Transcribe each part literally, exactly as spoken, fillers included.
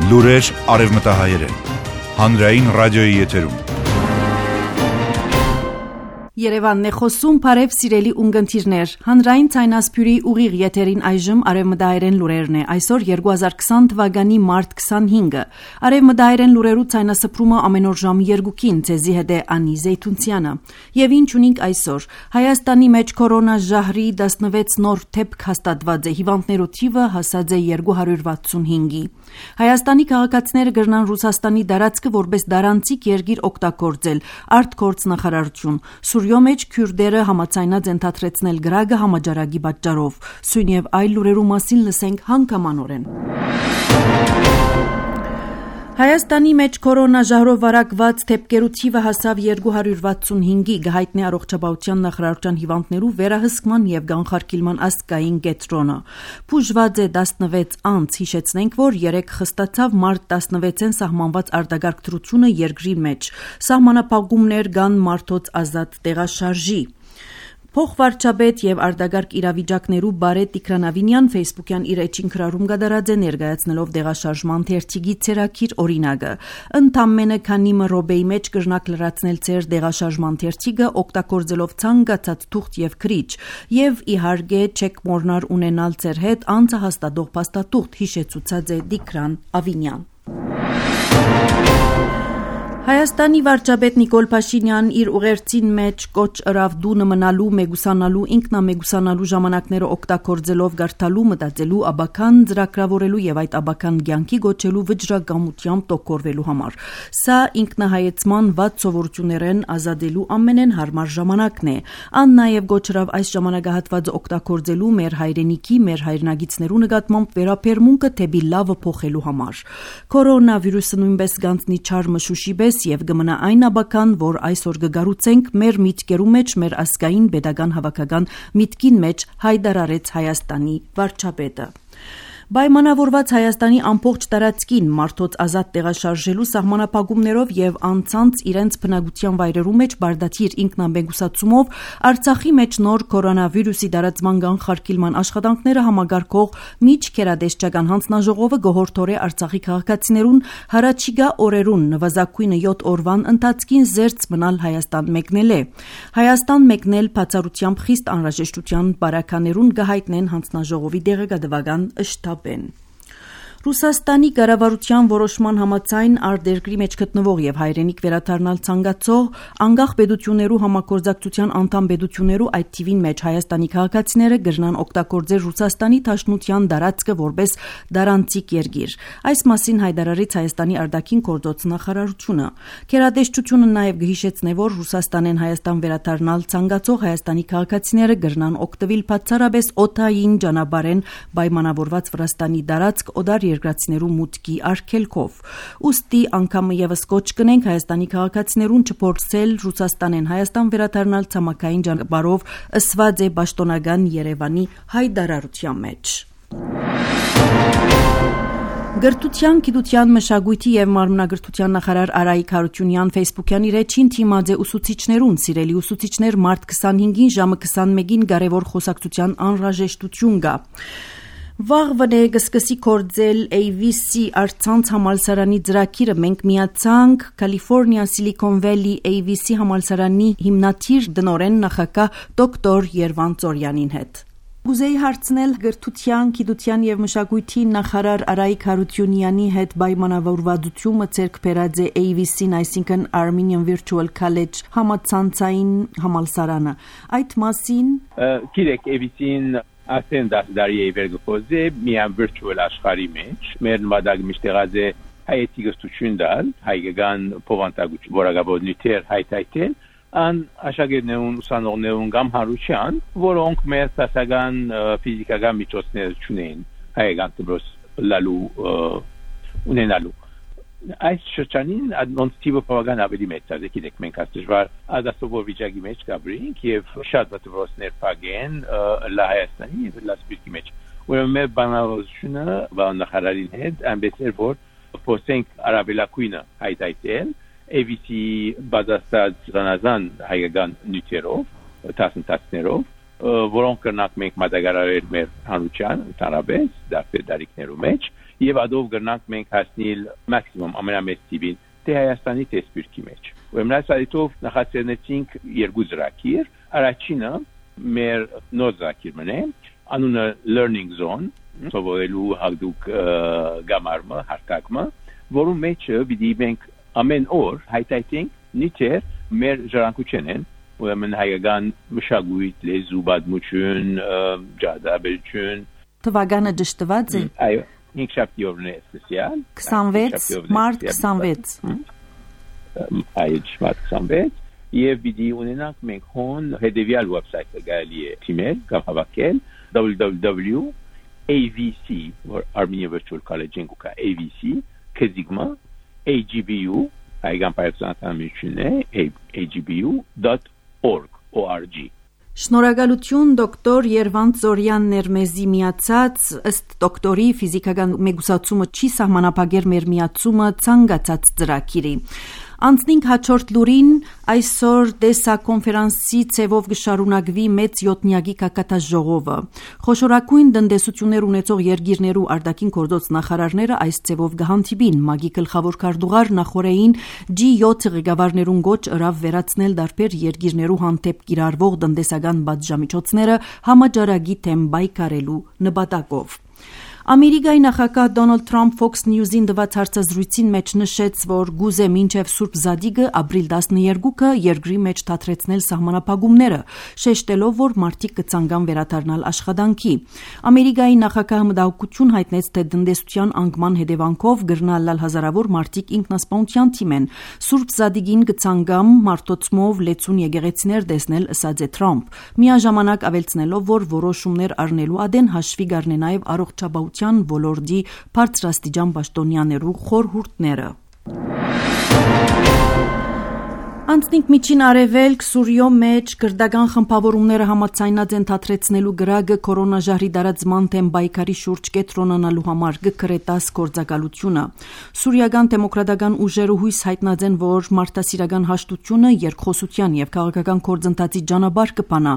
Լուրեր արևմտահայերեն։ Հանրային ռադիոյի եթերում։ Երևանն է խոսում, բարև սիրելի ունգընթիրներ։ Հանրային ցայնասփյուրի ուղիղ եթերին այժմ արևմտահայերեն լուրերն է։ Այսօր երկու հազար քսան թվականի մարտ քսանհինգը։ Արևմտահայերեն լուրերու ցայնասփրումը ամեն օր ժամը երկուքին ցեզի հետ է Անի Զեյթունցյանը։ Եվ ինչ ունենք այսօր։ Հայաստանի մեջ կորոնա ժահրի տասնվեց նոր դեպք հաստատված է։ Հիվանդներու թիվը հասած է երկու հարյուր վաթսունհինգի։ Հայաստանի քաղաքացիները կգնան Ռուսաստանի դարածքը որպես դարանցիկ երկիր օգտագործել։ Արտգործ նախարարություն։ Սուրյո մեջ քյուրդերը համաձայնած են թատրեցնել գրագը համաճարակի պատճառով։ Սույն եւ այլ լուրերու մասին լսենք հանգամանորեն։ Հայաստանի մեջ կորոնա ժահրով վարակված դեպքերու թիվը հասավ երկու հարյուր վաթսունհինգի, գահիտնի առողջապահության նախարարության հիվանդներու վերահսկման եւ կանխարգելման ազգային կենտրոնը։ Բուժված է տասնվեց անց, հիշեցնենք, որ երեք խստացավ մարտ տասնվեցին սահմանված արտագարգ դրությունը երկրի մեջ։ Սահմանափակումներ կան մարդոց ազատ տեղաշարժի։ Փոխվարչապետ եւ արտագարգ իրավիճակներու Բարետ Տիգրանավինյան Facebook-յան իր էջին քրարում գդարած է ներկայացնելով դեղաշարժման թերթիգի ցերակիր օրինակը։ Ընդամենը քանի մռոբեի մեջ կրնակ լրացնել ցեր դեղաշարժման թերթիգը օգտագործելով ցանկացած թուղթ եւ քրիչ եւ իհարկե չեք մոռնալ ունենալ ցեր հետ անցահաստատող փաստաթուղթ, հիշեցուցած է Տիգրան Ավինյան։ Հայաստանի վարչապետ Նիկոլ Փաշինյան իր ուղերձին մեջ կոչ ըրավ դունը մնալու, մեգուսանալու, ինքնամեգուսանալու ժամանակները օգտագործելով գարթալու, մտածելու, աբական ծրագրավորելու եւ այդ աբական կյանքի գոչելու վճռագամությամբ տոկորվելու համար։ Սա ինքնահայեցման վատ սովորություններեն ազատելու ամենեն հարմար ժամանակն է։ Ան նաեւ գոչ ըրավ այս ժամանակահատվածը օգտագործելու մեր հայրենիքի, մեր հայրենագիտներու նկատմամբ վերաբերմունքը թեպի լավը փոխելու համար։ Կորոնավիրուսը նույնպես գանձնի չար մշուշի պես եւ գմնա այն աբական, որ այսօր կգառուցենք մեր միտքերու մեջ, մեր ազգային pedagogan հավաքական միտքին մեջ հայտարարեց Հայաստանի վարչապետը։ Պայմանավորված Հայաստանի ամբողջ տարածքին մարդոց ազատ տեղաշարժելու սահմանափակումներով եւ անցանց իրենց բնակության վայրերու մեջ բարդաթիր ինքնամեգուսացումով Արցախի մեջ նոր կորոնավիրուսի տարածման կանխարգելման աշխատանքները համագարկող միջքերադեսչական հանձնաժողովը գոհորտորե Արցախի քաղաքացիներուն հարաճիգա օրերուն նվազագույնը յոթ օրվան ընթացքին զերծ մնալ Հայաստան մեկնել է։ Հայաստան մեկնել բացառությամբ խիստ անհրաժեշտության բարականերուն գահիտնեն հանձնաժողովի դեղեկատվական շտաբ Ben. Ռուսաստանի կառավարության որոշման համաձայն արտերկրի մեջ գտնվող եւ հայրենիք վերադառնալ ցանկացող անկախ պետություններու համագործակցության անդամ պետություններու այդ թիվին մեջ Հայաստանի քաղաքացիները կգնան օգտագործել Ռուսաստանի Դաշնության դարածքը որպես դարանցիկ երկիր։ Այս մասին հայտարարեց Հայաստանի արտաքին գործոց նախարարությունը։ Գերատեսչությունը նաեւ գհիշեցնե, որ Ռուսաստանեն Հայաստան վերադառնալ ցանկացող Հայաստանի քաղաքացիները կգնան օգտվել բացառապես օդային ճանապարհեն պայմանավորված Վրաստանի դարածք օդար երկրացիներու մուտքի արգելքով։ Ուստի անգամ եւս կոչ կնենք Հայաստանի քաղաքացիներուն չփորձել Ռուսաստանեն Հայաստան վերադառնալ ցամաքային ճանապարհով ըսված է պաշտոնական Երևանի հայտարարության մեջ։ Գրթության, գիտության, մշակույթի եւ մարմնագրթության նախարար Արայիկ Հարությունյան Facebook-յան իր էջին թիմած է ուսուցիչներուն, սիրելի ուսուցիչներ, մարտ քսանհինգին ժամը քսանմեկին կարևոր խոսակցության անհրաժեշտություն կա։ Վաղվա կսկսի կործել A V C Արցանց համալսարանի ծրագիրը մենք միացանք Կալիֆոռնիա Silicon Valley A V C համալսարանի հիմնադիր դնորեն նախագահ դոկտոր Երվան Ծորյանին հետ։ Ուզեի հարցնել գրթության, գիտության եւ մշակույթի նախարար Արայիկ Հարությունյանի հետ պայմանավորվածությունը ցերկ բերած է A V C-ն, այսինքն Armenian Virtual College համացանցային համալսարանը։ Այդ մասին գիտեք A V C-ն Ասեն դասդարի է վերգոզե միան virtual աշխարհի մեջ մեր նվադագ միշտեղած է հայեցի գստություն դալ հայկական փոխանցագություն որակաբոդնիտեր հայտայտել ան աշակերտներուն ուսանողներուն կամ հարության որոնք մեր դասական ֆիզիկական միջոցներ չունեն հայկական դրոս լալու ունենալու այս շրջանին անոնցիվը բավական ավելի մեծ է գիտեք մենք աստիճան ադասովոր վիճակի մեջ գաբրինք եւ շատ դրոսներ փագեն լահայաստանի եւ լասպիրկի մեջ ուրեմն մեր բանալությունը բանախարարին հետ ամբեսեր որ փոսենք արաբելակույնը հայտայտել A V C բադաստած զանազան հայկական նյութերով տասնտասներով որոնք կրնանք մենք մատակարարել մեր հանրության ընդհանրապես դեպի դարիքներու մեջ եւ ադով կրնանք մենք հասնել մաքսիմում ամենամեծ տիպին թե Հայաստանի տեսփիրքի մեջ։ Ուրեմն այս այդով նախաձեռնեցինք երկու ծրագիր, առաջինը մեր նոր ծրագիրն է, անունը Learning Zone, սովորելու հագդուկ գամարմը, հարկակմը, որում մեջ պիտի մենք ամեն օր հայտայինք նիչեր մեր ժառանգության են, ուրեմն հայկական մշակույթ, լեզու, պատմություն, ջադաբերություն։ Թվականը ճշտված է։ Այո, ինքշաբթի օրն է սպեցիալ։ քսանվեց մարտ քսանվեց։ Այո, մարտ քսանվեց, եւ պիտի ունենանք մենք հոն հետեւյալ վեբսայթը գալի է թիմել կամ հավաքել w w w dot a v c or Armenia Virtual College-ին կա A V C քեզիգմա A G B U հայկական պայծանատամիջն է A G B U dot org. Շնորհակալություն դոկտոր Երվանդ Զորյաններ մեզի միացած ըստ դոկտորի ֆիզիկական մեգուսացումը չի սահմանափակեր մեր միացումը ցանկացած ծրագիրի Անցնինք հաջորդ լուրին այսօր դեսա կոնֆերանսի ցևով գշարունակվի մեծ յոթնյակի կակատաժողովը խոշորագույն տնտեսություններ ունեցող երկիրներու արտաքին գործոց նախարարները այս ցևով գհանդիպին մագի գլխավոր քարտուղար նախորեին G seven ղեկավարներուն գոչ ըրավ վերացնել դարբեր երկիրներու հանդեպ կիրառվող տնտեսական բաժամիջոցները համաճարակի թեմ բայկարելու նպատակով Ամերիկայի նախագահ Դոնալդ Թրամփ Fox News-ին տված հարցազրույցին մեջ նշեց, որ գուզե մինչև Սուրբ Զադիգը ապրիլ տասնյոթը երկրի մեջ թատրեցնել սահմանափակումները, շեշտելով, որ մարդիկ կցանկան վերադառնալ աշխատանքի։ Ամերիկայի նախագահը մտահոգություն հայտնեց, թե տնտեսության անկման հետևանքով գրնալալ հազարավոր մարդիկ ինքնասպանության թիմ են։ Սուրբ Զադիգին կցանկամ մարդոցմով լեցուն եկեղեցիներ տեսնել, ըսած է Թրամփ, միաժամանակ ավելցնելով, որ որոշումներ առնելու ադեն հաշվի կառնե նաև առողջապահ ոլորտի բարձրաստիճան պաշտոնյաներու խորհուրդները։ Անցնինք միջին արևելք Սուրիո մեջ քրդական խմբավորումները համաձայնած են թատրեցնելու գրագը կորոնաժահրի դարածման թեմ բայկարի շուրջ կետրոնանալու համար գկրետաս գործակալությունը։ Սուրիական դեմոկրատական ուժերը հույս հայտնած են, որ մարդասիրական հաշտությունը երկխոսության եւ քաղաքական գործընթացի ճանապարհ կփանա,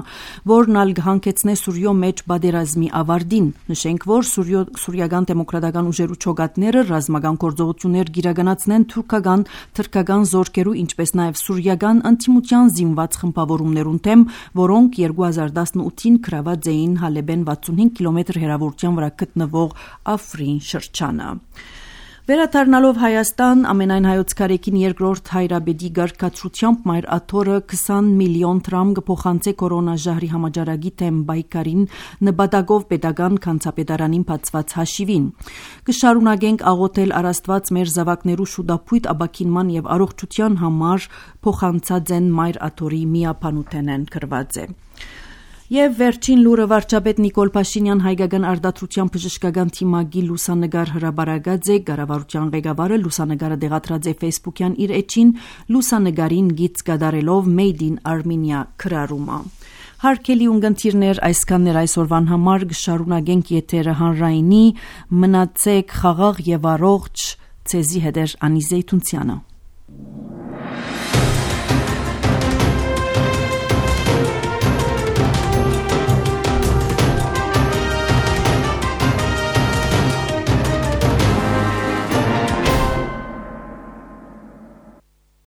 որն ալ կհանգեցնե Սուրիո մեջ բادرազմի ավարտին։ Նշենք, որ Սուրիո Սուրիական դեմոկրատական ուժերու չոգատները ռազմական գործողություններ գիրականացնեն թուրքական, թրքական զորքերու, ինչպես նաեւ Սուրիական անտիմության զինված խմբավորումներուն թեմ, որոնք երկու հազար տասնութին գրաված էին Հալեբեն վաթսունհինգ կիլոմետր հեռավորության վրա գտնվող Աֆրին շրջանը։ Վերադառնալով Հայաստան, ամենայն հայոց կարեկին երկրորդ հայրաբեդի գարկացությամբ մայր աթորը քսան միլիոն դրամ կփոխանցե կորոնաժահրի համաճարակի թեմ բայկարին նպատակով պետական կանցապետարանին բացված հաշիվին։ Կշարունակենք աղոթել առաստված մեր զավակներու շուտապույտ աբակինման եւ առողջության համար փոխանցած են մայր աթորի միապանութեն են գրված է։ Եվ վերջին լուրը վարչապետ Նիկոլ Փաշինյան հայկական արտադրության բժշկական թիմագի լուսանգար հրաբարագած է կառավարության ղեկավարը լուսանգարը դեղատրած է Facebook-յան իր էջին լուսանգարին գիծ կատարելով Made in Armenia քրարումը Հարկելի ունգընտիրներ այսքաններ այսօրվան համար կշարունակենք եթերը հանրայինի մնացեք խաղաղ եւ առողջ ցեզի հետեր Անիզե Թունցյանը